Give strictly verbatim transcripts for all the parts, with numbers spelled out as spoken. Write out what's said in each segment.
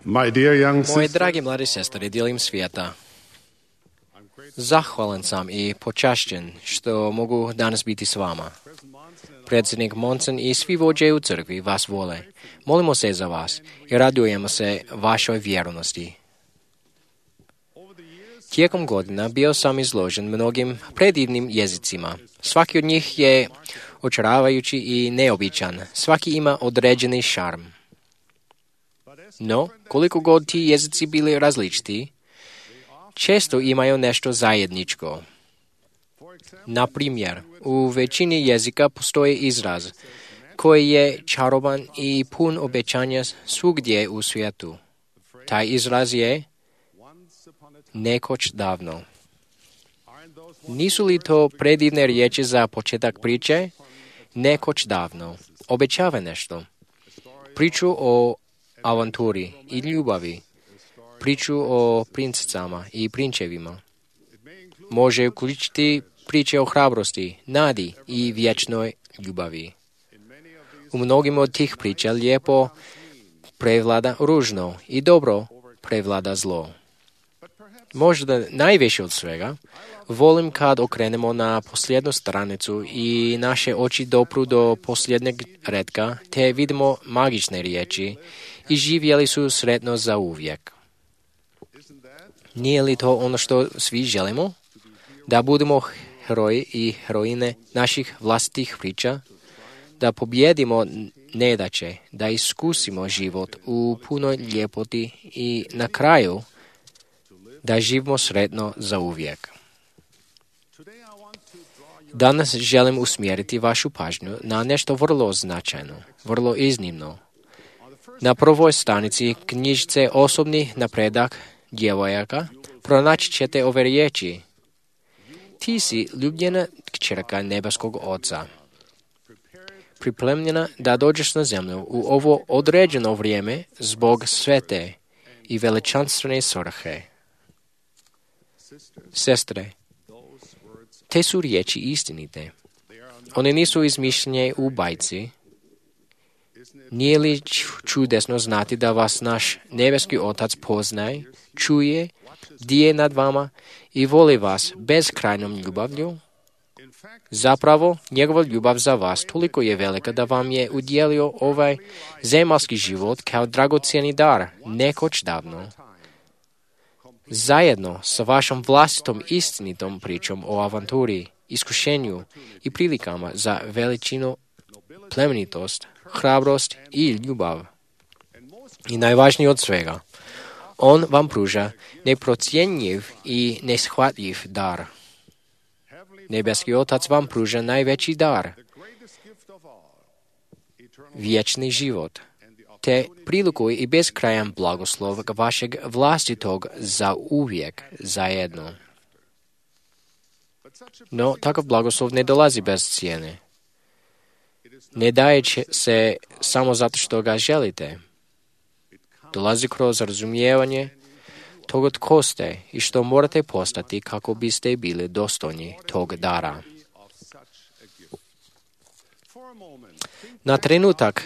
My dear young Moje sister, dragi mladi sestre diljem svijeta, zahvalan sam i počašćen što mogu danas biti s vama. Predsjednik Monson i svi vođe u crkvi vas vole. Molimo se za vas i radujemo se vašoj vjernosti. Tijekom godina bio sam izložen mnogim predivnim jezicima. Svaki od njih je očaravajući i neobičan. Svaki ima određeni šarm. No, koliko god ti jezici bili različiti, često imaju nešto zajedničko. Na primjer, u većini jezika postoji izraz koji je čaroban i pun obećanja svugdje u svijetu. Taj izraz je nekoć davno. Nisu li to predivne riječi za početak priče? Nekoć davno. Obećava nešto. Priču o avanturi i ljubavi. Priču o princicama i prinčevima. Može uključiti priče o hrabrosti, nadi i vječnoj ljubavi. U mnogim od tih priča lijepo prevlada ružno i dobro prevlada zlo. Možda najviše od svega volim kad okrenemo na posljednju stranicu i naše oči dopru do posljednjeg retka, te vidimo magične riječi i živjeli su sretno za uvijek. Nije li to ono što svi želimo? Da budemo heroji i heroine naših vlastitih priča, da pobjedimo nedaće, da iskusimo život u punoj ljepoti i na kraju da živimo sretno za uvijek. Danas želim usmjeriti vašu pažnju na nešto vrlo značajno, vrlo iznimno. Na prvoj stranici knjižice Osobni napredak djevojaka pronaći ćete ove riječi. Ti si ljubljena kćerka nebeskog Oca, pripremljena da dođeš na zemlju u ovo određeno vrijeme zbog svete i veličanstvene svrhe. Sestre, te su riječi istinite. One nisu izmišljene u bajci. Nije li čudesno znati da vas naš nebeski Otac poznaje, čuje, bdije nad vama i voli vas bezkrajnom ljubavlju? Zapravo, njegova ljubav za vas toliko je velika da vam je udjelio ovaj zemaljski život kao dragocjeni dar, nekoć davno. Zajedno sa vašom vlastitom istinitom pričom o avanturi, iskušenju i prilikama za veličinu, plemenitost, hrabrost i ljubav. I najvažnije od svega, on vam pruža neprocjenjiv i neshvatljiv dar. Nebeski Otac vam pruža najveći dar, vječni život, te priliku i beskrajan blagoslov vašeg vlastitog za uvijek zajedno. No, takav blagoslov ne dolazi bez cijene. Ne daje se samo zato što ga želite. Dolazi kroz razumijevanje toga tko ste i što morate postati kako biste bili dostojni tog dara. Na trenutak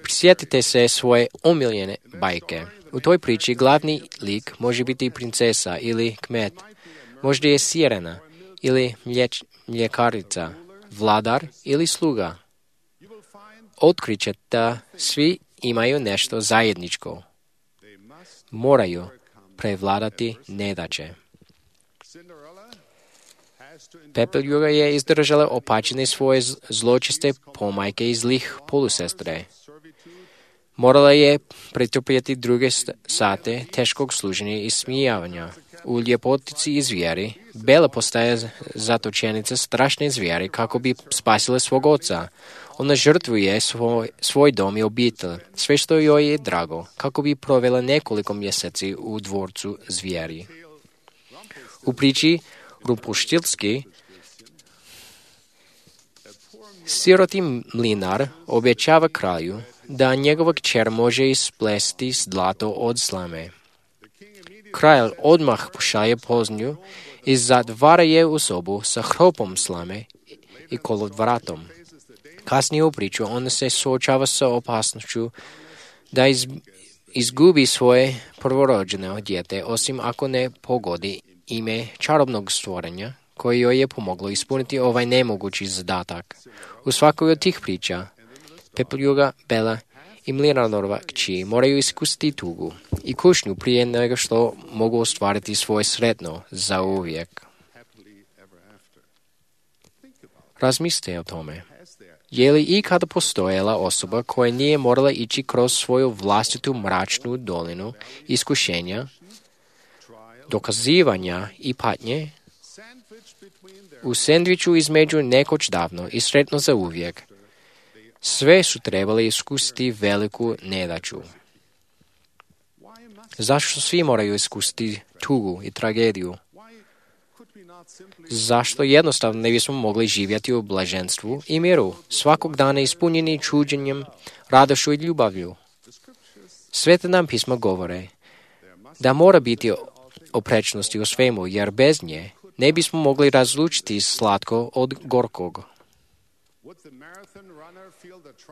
prisjetite se svoje omiljene bajke. U toj priči glavni lik može biti princesa ili kmet, možda je sirena ili mlječ, mljekarica, vladar ili sluga. Otkrićete da svi imaju nešto zajedničko. Moraju prevladati nedaće. Pepeljuga je izdržala opačene svoje zločiste pomajke i zlih polusestre. Morala je pretrpjeti druge sate teškog služenja i smijavanja. U ljepotici i zvijeri Bela postaje zatočenica strašne zvijeri kako bi spasila svog oca. Ona žrtvuje svoj, svoj dom i obitelj, sve što joj je drago, kako bi provela nekoliko mjeseci u dvorcu zvijeri. U priči Rumpuštilski, siroti mlinar obećava kralju da njegova kćer može isplesti zlato od slame. Kralj odmah pošalje poznju i zatvara je u sobu sa hropom slame i kolodvratom. Kasnije u priču ona se suočava sa opasnošću da iz, izgubi svoje prvorođeno dijete, osim ako ne pogodi ime čarobnog stvorenja, koje joj je pomoglo ispuniti ovaj nemogući zadatak. U svakoj od tih priča, Pepeljuga, Bela i Mlinarova kći moraju iskusiti tugu i kušnju prije nego što mogu ostvariti svoje sretno za uvijek. Razmislite o tome. Je li ikada postojala osoba koja nije morala ići kroz svoju vlastitu mračnu dolinu iskušenja, dokazivanja i patnje u sendviču između nekoć davno i sretno za uvijek? Sve su trebali iskusiti veliku nedaću. Zašto svi moraju iskusiti tugu i tragediju? Zašto jednostavno ne bismo mogli živjeti u blaženstvu i miru, svakog dana ispunjeni čuđenjem, radošću i ljubavlju? Svete nam pisma govore da mora biti oprečnosti u svemu, jer bez nje ne bismo mogli razlučiti slatko od gorkog.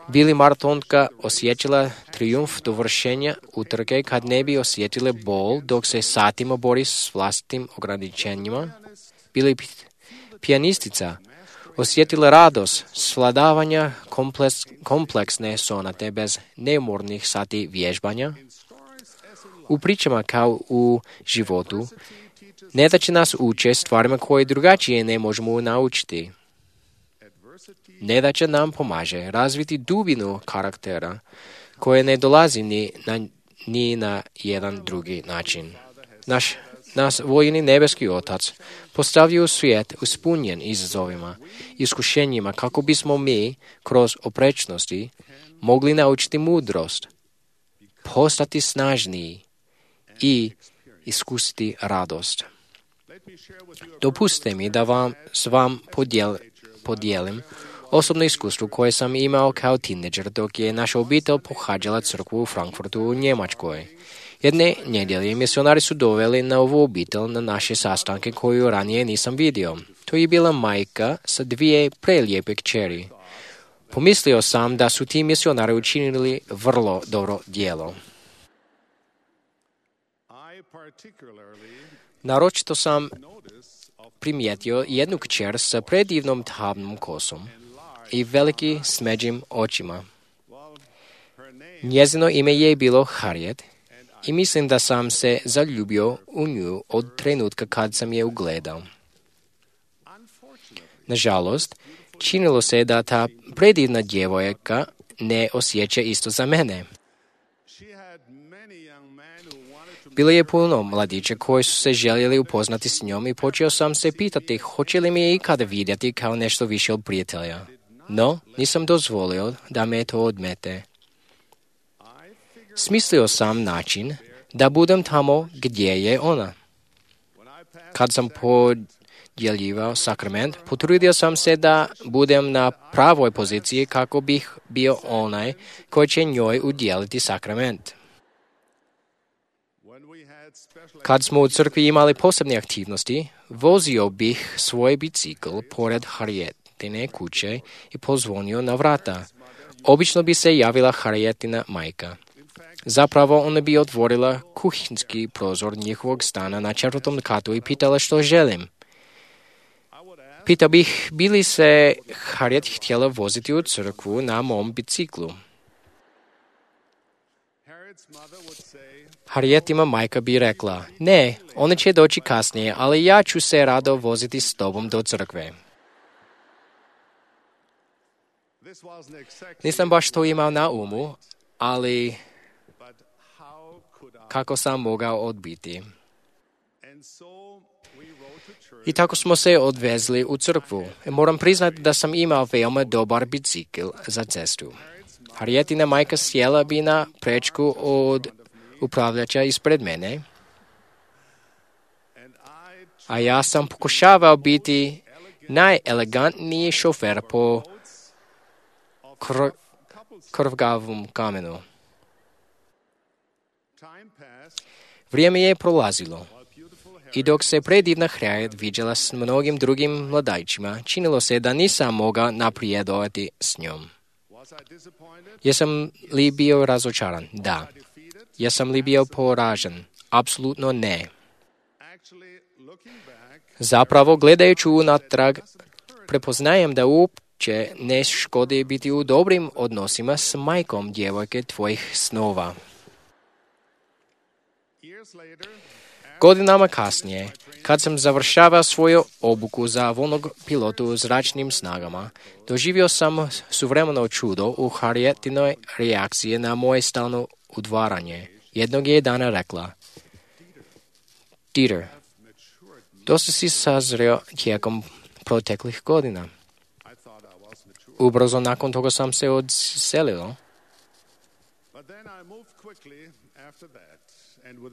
Bi li maratonka osjećala trijumf dovršenja utrke kad ne bi osjetila bol dok se satima bori s vlastitim ograničenjima? Bi li pijanistica osjetila radost svladavanja kompleks, kompleksne sonate bez neumornih sati vježbanja? U pričama kao u životu, nedaće nas uče stvarima koje drugačije ne možemo naučiti. Nedaća nam pomaže razviti dubinu karaktera koje ne dolazi ni na, ni na jedan drugi način. Naš Nas vojni nebeski Otac postavio svijet uspunjen izazovima i iskušenjima kako bismo mi, kroz oprečnosti, mogli naučiti mudrost, postati snažniji i iskusiti radost. Dopustite mi da vam s vam podijel, podijelim osobno iskustvo koje sam imao kao tineđer dok je naša obitelj pohađala crkvu u Frankfurtu u Njemačkoj. Jedne nedjelje misionari su doveli na ovu obitelj na naše sastanke koju ranije nisam vidio. To je bila majka sa dvije prelijepe kćeri. Pomislio sam da su ti misionari učinili vrlo dobro djelo. Naročito sam primijetio jednu kćer sa predivnom tamnom kosom i veliki smeđim očima. Njezino ime je bilo Harriet i mislim da sam se zaljubio u nju od trenutka kad sam je ugledao. Nažalost, činilo se da ta predivna djevojka ne osjeća isto za mene. Bilo je puno mladića koji su se željeli upoznati s njom i počeo sam se pitati hoće li mi je ikada vidjeti kao nešto više od prijatelja. No, nisam dozvolio da me to odmete. Smislio sam način da budem tamo gdje je ona. Kad sam podjeljivao sakrament, potrudio sam se da budem na pravoj poziciji kako bih bio onaj koji će njoj udjeliti sakrament. Kad smo u crkvi imali posebne aktivnosti, vozio bih svoj bicikl pored Harrietine kuće i pozvonio na vrata. Obično bi se javila Harrietina majka. Zapravo ona bi otvorila kuhinski prozor njihovog stana na četvrtom katu i pitala što želim. Pitao bih bi li se Harriet htjela voziti u crkvu na mom biciklu. Harrietima majka bi rekla, ne, ona će doći kasnije, ali ja ću se rado voziti s tobom do crkve. Nisam baš to imao na umu, ali kako sam mogao odbiti. I tako smo se odvezli u crkvu. Moram priznati da sam imao veoma dobar bicikl za cestu. Harrietina majka sjela bi na prečku od upravljača ispred mene, a ja sam pokušavao biti najelegantniji šofer po kr- krvgavom kamenu. Vrijeme je prolazilo i dok se predivna Harriet viđala s mnogim drugim mladajčima, činilo se da nisam mogao napredovati s njom. Jesam li bio razočaran? Da. Jesam li bio poražen? Apsolutno ne. Zapravo, gledajući unatrag, prepoznajem da uopće ne škodi biti u dobrim odnosima s majkom djevojke tvojih snova. Godinama kasnije, kad sam završavao svoju obuku za vojnog pilota u zračnim snagama, doživio sam suvremeno čudo u Harrietinoj reakciji na moje stalno udvaranje. Jednog je dana rekla: Dieter, dosta si sazreo tijekom proteklih godina. Ubrzo nakon toga sam se odselio,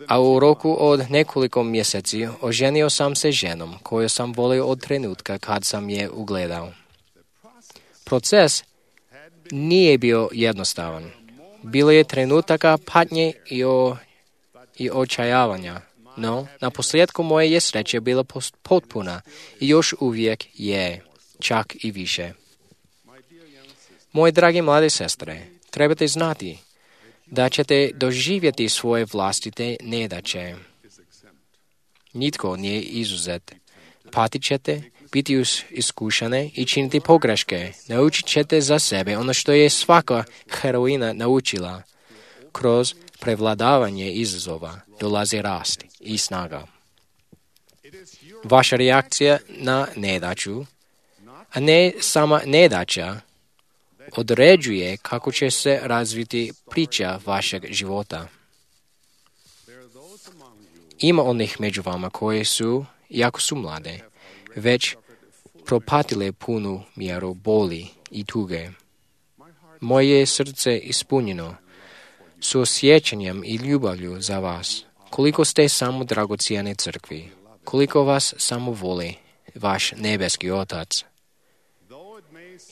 a u roku od nekoliko mjeseci oženio sam se ženom koju sam volio od trenutka kad sam je ugledao. Proces nije bio jednostavan. Bilo je trenutaka patnje i, o, i očajavanja, no na posljedku moje je sreće bila potpuna i još uvijek je, čak i više. Moje drage mlade sestre, trebate znati da ćete doživjeti svoje vlastite nedaće. Nitko nije izuzet. Patit ćete, biti iskušane i činiti pogreške. Naučit ćete za sebe ono što je svaka heroina naučila. Kroz prevladavanje izazova dolazi rast i snaga. Vaša reakcija na nedaću, a ne sama nedaća, određuje kako će se razviti priča vašeg života. Ima onih među vama koje su, iako su mlade, već propatile punu mjeru boli i tuge. Moje je srce ispunjeno suosjećanjem i ljubavlju za vas. Koliko ste samo dragocijene crkvi, koliko vas samo voli vaš nebeski Otac.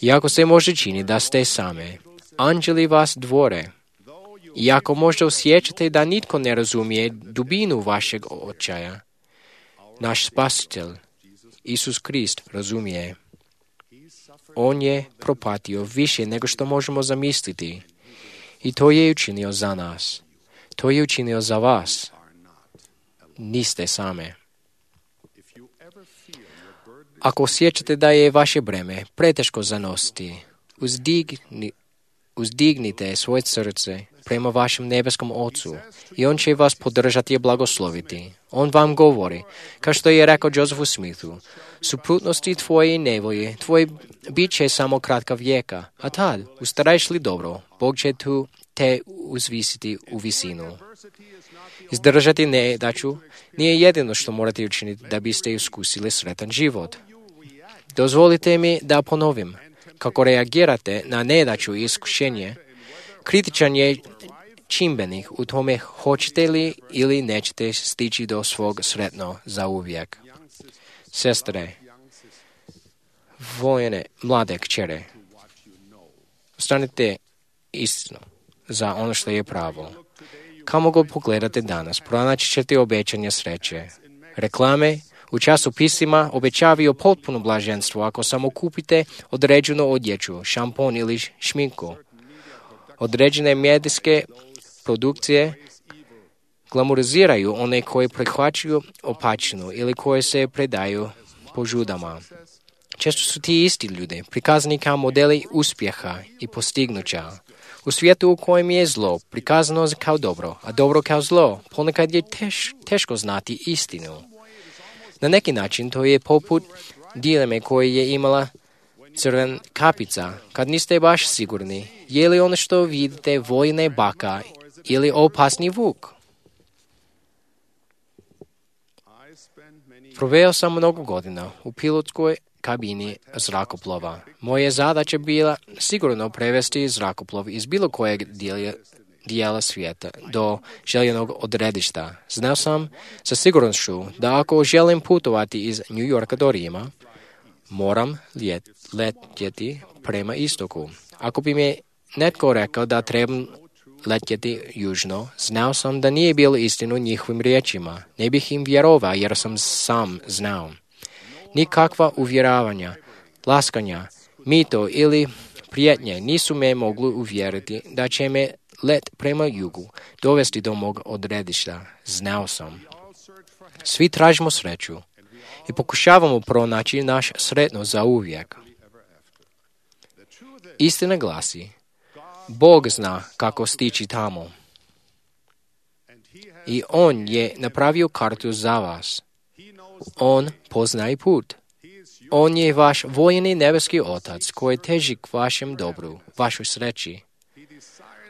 Iako se može čini da ste same, anđeli vas dvore. Iako možda osjećate da nitko ne razumije dubinu vašeg očaja, naš Spasitelj, Isus Krist, razumije. On je propatio više nego što možemo zamisliti. I to je učinio za nas. To je učinio za vas. Niste same. Ako osjećate da je vaše breme preteško zanositi, uzdigni, uzdignite svoje srce prema vašem nebeskom Ocu i On će vas podržati i blagosloviti. On vam govori, kao što je rekao Josephu Smithu, suprotnosti tvoje i nevolje, tvoje bit će samo kratka vijeka, a tad, ustaraješ li dobro, Bog će tu te uzvisiti u visinu. Izdržati nedaću nije jedino što morate učiniti da biste iskusili sretan život. Dozvolite mi da ponovim, kako reagirate na nedaću i iskušenje, kritičan je čimbenik u tome hoćete li ili nećete stići do svog sretno zauvijek. Sestre, voljene mlade kćere, ostanite istinu za ono što je pravo. Kamo god pogledate danas, pronaći ćete obećanje sreće. Reklame u časopisima obećavaju potpuno blaženstvo ako samo kupite određenu odjeću, šampon ili šminku. Određene medijske produkcije glamoriziraju one koje prihvaćaju opačinu ili koje se predaju požudama. Često su ti isti ljudi prikazani kao modeli uspjeha i postignuća. U svijetu u kojem je zlo prikazano kao dobro, a dobro kao zlo, ponekad je teš, teško znati istinu. Na neki način to je poput dileme koje je imala crven kapica, kad niste baš sigurni, je li ono što vidite vojne baka ili opasni vuk. Proveo sam mnogo godina u pilotskoj kabini zrakoplova. Moja zadaća bila sigurno prevesti zrakoplov iz bilo kojeg dijela, dijela svijeta do željenog odredišta. Znao sam sa sigurnošću da ako želim putovati iz New Yorka do Rima, moram ljet, letjeti prema istoku. Ako bi mi netko rekao da trebam letjeti južno, znao sam da nije bilo istinu njihovim riječima. Ne bih im vjerovao jer sam sam znao. Nikakva uvjeravanja, laskanja, mito ili prijetnje nisu me mogli uvjeriti da će me let prema jugu dovesti do mog odredišta. Znao sam. Svi tražimo sreću i pokušavamo pronaći naš sretno za uvijek. Istina glasi, Bog zna kako stići tamo. I On je napravio kartu za vas. On poznaje put. On je vaš vojni nebeski Otac koji teži k vašem dobru, vašoj sreći.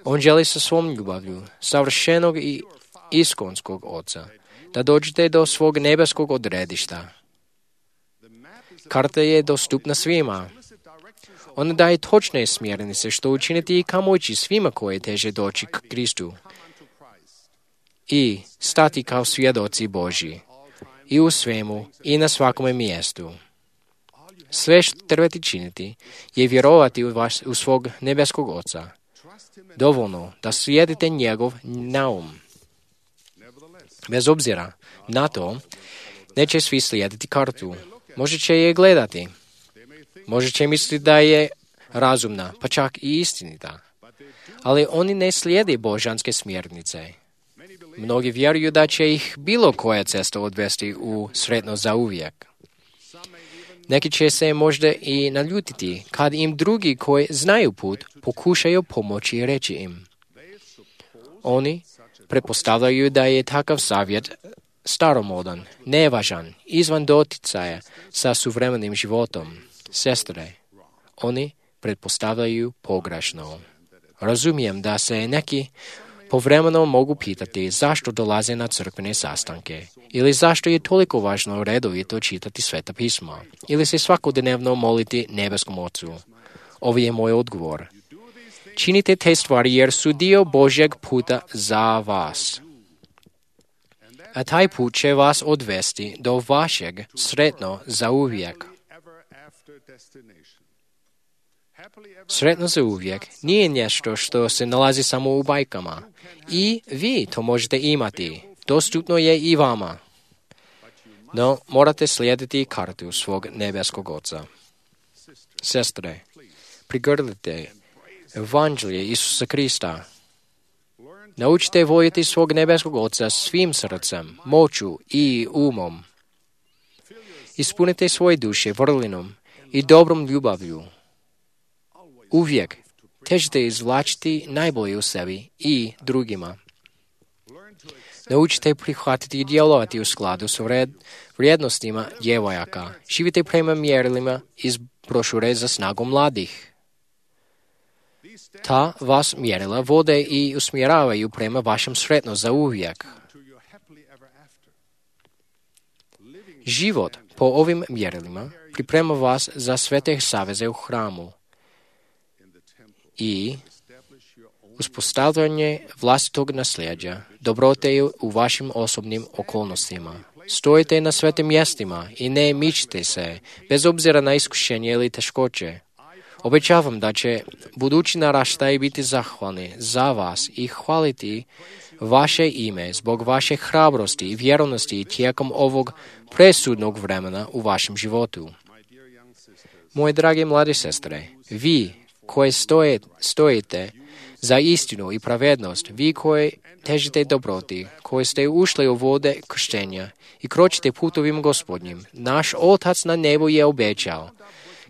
On želi sa svom ljubavlju, savršenog i iskonskog Oca, da dođete do svog nebeskog odredišta. Karta je dostupna svima. Ona daje točne smjernice što učiniti i kamo ići svima koji teže doći k Kristu i stati kao svjedoci Božji i u svemu i na svakome mjestu. Sve što trebate činiti je vjerovati u, vaš, u svog nebeskog Oca. Dovoljno da slijedite njegov naum. Bez obzira na to, neće svi slijediti kartu. Možda će je gledati. Možda će misliti da je razumna, pa čak i istinita. Ali oni ne slijede božanske smjernice. Mnogi vjeruju da će ih bilo koja cesta odvesti u sretno za uvijek. Neki će se možda i naljutiti kad im drugi koji znaju put pokušaju pomoći i reći im. Oni pretpostavljaju da je takav savjet staromodan, nevažan, izvan doticaja sa suvremenim životom. Sestre, oni pretpostavljaju pogrešno. Razumijem da se neki povremeno mogu pitati zašto dolaze na crkvene sastanke ili zašto je toliko važno redovito čitati Sveta pisma ili se svakodnevno moliti nebeskom Ocu. Ovo je moj odgovor. Činite te stvari jer su dio Božjeg puta za vas. A taj put će vas odvesti do vašeg sretno za uvijek. Sretno za uvijek nije nešto što se nalazi samo u bajkama. I vi to možete imati. Dostupno je i vama. No, morate slijediti kartu svog nebeskog Oca. Sestre, prigrlite evanđelje Isusa Krista. Naučite voljeti svog nebeskog Oca svim srcem, moću i umom. Ispunite svoje duše vrlinom i dobrom ljubavlju. Uvijek težite izvlačiti najbolje u sebi i drugima. Naučite prihvatiti i djelovati u skladu s vrijednostima djevojaka. Živite prema mjerilima iz brošure za snagu mladih. Ta vas mjerila vode i usmjeravaju prema vašem sretno za uvijek. Život po ovim mjerilima priprema vas za sve te saveze u hramu i uspostavljanje vlastitog nasljeđa, dobrote u vašim osobnim okolnostima. Stojite na svetim mjestima i ne mičite se, bez obzira na iskušenje ili teškoće. Obećavam da će budući naraštaji biti zahvalni za vas i hvaliti vaše ime zbog vaše hrabrosti i vjerovnosti tijekom ovog presudnog vremena u vašem životu. Moje drage mlade sestre, vi koji stoje, stojite za istinu i pravednost, vi koji težite dobroti, koji ste ušli u vode krštenja i kročite putovima Gospodnjim, naš Otac na nebu je obećao.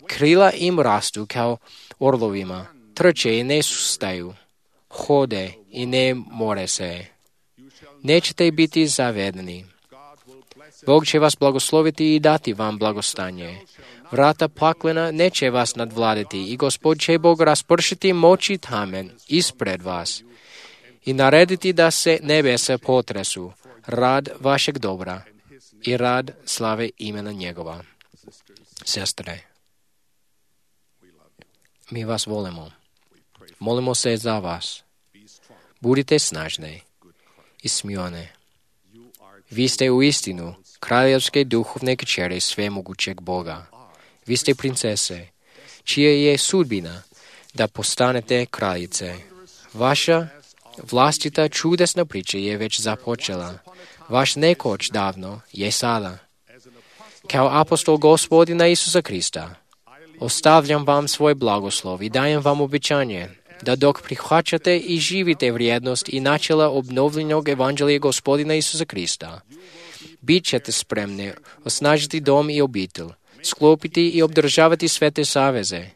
Krila im rastu kao orlovima, trče i ne sustaju, hode i ne more se. Nećete biti zavedeni. Bog će vas blagosloviti i dati vam blagostanje. Vrata paklena neće vas nadvladati i Gospod će Bog raspršiti moći tamen ispred vas i narediti da se nebesa potresu, rad vašeg dobra i rad slave imena njegova. Sestre, mi vas volimo. Molimo se za vas. Budite snažne i smijone. Vi ste u istinu kraljevske duhovne kćeri svemogućeg Boga. Vi ste princese, čija je sudbina da postanete kraljice. Vaša vlastita čudesna priča je već započela. Vaš nekoć davno je sada. Kao apostol Gospodina Isusa Krista, ostavljam vam svoj blagoslov i dajem vam obećanje da dok prihvaćate i živite vrijednost i načela obnovljenog evanđelja Gospodina Isusa Krista, bit ćete spremni osnažiti dom i obitelj, sklopiti i obdržavati svete saveze,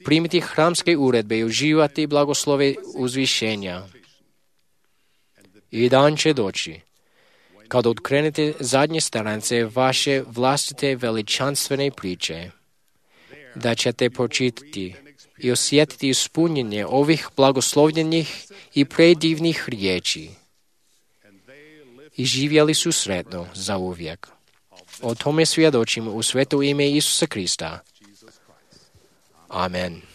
primiti hramske uredbe i uživati blagoslove uzvišenja. I dan će doći, kad otkrenete zadnje stranice vaše vlastite veličanstvene priče, da ćete pročitati i osjetiti ispunjenje ovih blagoslovljenih i predivnih riječi. I živjeli su sretno za uvijek. O tome svjedočimo u sveto ime Isusa Krista. Amen.